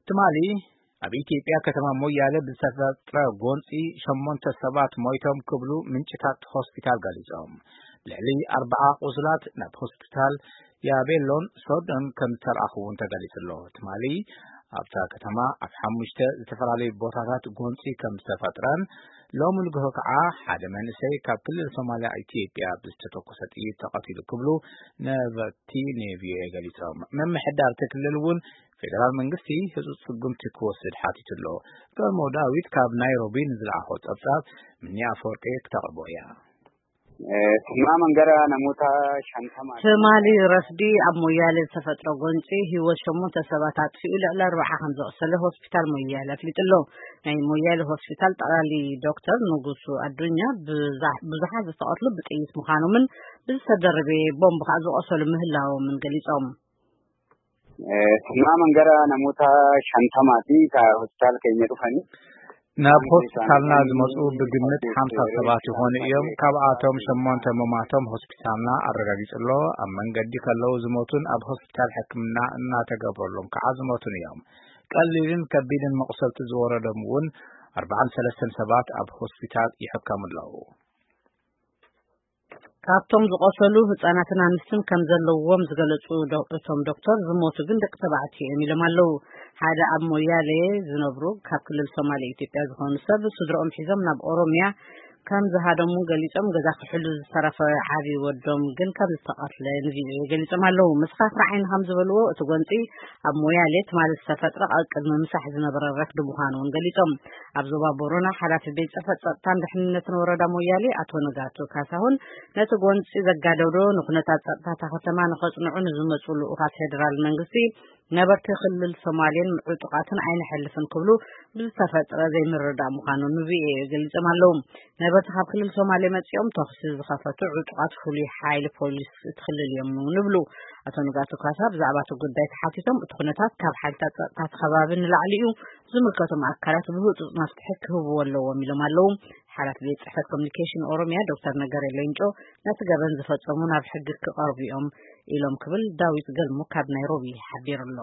ትማሊ ኣብ ኢትዮጵያ ከተማ ሞያለ ብዝተፈጥረ ጎንፂ ሸሞንተ ሰባት ሞይቶም ክብሉ ምንጭታት ሆስፒታል ገሊፆም። ልዕሊ ኣርባዓ ቁስላት ናብ ሆስፒታል ያቤሎን ሶዶን ከም ዝተልኣኹ እውን ተገሊፁ ኣሎ። ትማሊ ኣብታ ከተማ ኣብ ሓሙሽተ ዝተፈላለዩ ቦታታት ጎንፂ ከም ዝተፈጥረን ሎሚ ንግሆ ከዓ ሓደ መንእሰይ ካብ ክልል ሶማልያ ኢትዮጵያ ብዝተተኮሰ ጥይት ተቐቲሉ ክብሉ ነበርቲ ንቪኦኤ ገሊፆም። ምምሕዳር እቲ ክልል እውን ፌደራል መንግስቲ ህፁፅ ስጉምቲ ክወስድ ሓቲቱ ኣሎ። ገልሞ ዳዊት ካብ ናይሮቢ ንዝለኣኾ ፀብፃብ ምኒ ኣፈወርቂ ክተቕርቦ እያ። Tummaa mangara namoota shantama ትማሊ ረፍዲ ኣብ ሞያሌ ዝተፈጥረ ጎንፂ ህይወት ሸሞንተ ሰባት ኣጥፊኡ ልዕሊ ኣርባዓ ከም ዘቑሰለ ሆስፒታል ሞያሌ ኣፍሊጡ ኣሎ። ናይ ሞያሌ ሆስፒታል ጠቕላሊ ዶክተር ንጉሱ ኣዱኛ ብዙሓት ዝተቐትሉ ብጥይት ምዃኖምን ብዝተደረበ ቦምብ ከዓ ዝቆሰሉ ምህላዎምን ገሊጾም። Tummaa mangara namoota shantamaati ka hospitaala keenya dhufanii. ናብ ሆስፒታልና ዝመፁ ብግምት ሓምሳ ሰባት ይኾኑ እዮም። ካብኣቶም ሸሞንተ ምማቶም ሆስፒታልና ኣረጋጊፁ ኣሎ። ኣብ መንገዲ ከለዉ ዝሞቱን ኣብ ሆስፒታል ሕክምና እናተገብረሎም ከዓ ዝሞቱን እዮም። ቀሊልን ከቢድን መቑሰልቲ ዝወረዶም እውን ኣርባዓን ሰለስተን ሰባት ኣብ ሆስፒታል ይሕከሙ ኣለዉ። ካብቶም ዝቆሰሉ ህጻናትን ኣንስትን ከም ዘለውዎም ዝገለጹ እቶም ዶክተር ዝሞቱ ግን ደቂ ተባዕትዮ እዮም ኢሎም ኣለዉ። ሓደ ኣብ ሞያሌ ዝነብሩ ካብ ክልል ሶማሌ ኢትዮጵያ ዝኾኑ ሰብ ስድሮኦም ሒዞም ናብ ኦሮሚያ ከም ዝሃደሙ ገሊጾም፣ ገዛ ክሕሉ ዝተረፈ ዓቢ ወዶም ግን ከም ዝተቐትለ ንቪኦኤ ገሊጾም ኣለዉ። መስኻኽር ዓይኒ ከም ዝበልዎ እቲ ጎንጺ ኣብ ሞያሌ ትማሊ ዝተፈጥረ ኣብ ቅድሚ ምሳሕ ዝነበረ ረፍዲ ምዃኑ እውን ገሊጾም። ኣብ ዞባ ቦረና ሓላፊ ቤት ጽሕፈት ጸጥታን ድሕንነትን ወረዳ ሞያሌ ኣቶ ንጋቱ ካሳሁን ነቲ ጎንጺ ዘጋደዶ ንኩነታት ጸጥታ እታ ከተማ ንኸጽንዑ ንዝመጹ ልኡኻት ፌደራል መንግስቲ ነበርቲ ክልል ሶማሌን ዕጡቓትን ኣይንሐልፍን ክብሉ ብዝተፈጥረ ዘይምርዳእ ምዃኑ ንቪኦኤ ገሊጾም ኣለዉ። ነበርቲ ካብ ክልል ሶማሌ መጺኦም ተኹሲ ዝኸፈቱ ዕጡቓት ፍሉይ ሓይሊ ፖሊስ እቲ ክልል እዮም ንብሉ። ኣቶ ንጋቱ ካሳ ብዛዕባ እቲ ጉዳይ ተሓቲቶም እቲ ኩነታት ካብ ሓይልታት ጸጥታ እቲ ከባቢ ንላዕሊ እዩ፣ ዝምልከቶም ኣካላት ብህፁፅ መፍትሒ ክህብዎ ኣለዎም ኢሎም ኣለዉ። ሓላፊ ቤት ፅሕፈት ኮሚኒኬሽን ኦሮሚያ ዶክተር ነገሬ ሌንጮ ነቲ ገበን ዝፈፀሙ ናብ ሕጊ ክቐርቡ እዮም ኢሎም ክብል ዳዊት ገልሙ ካብ ናይሮቢ ሓቢሩ ኣሎ።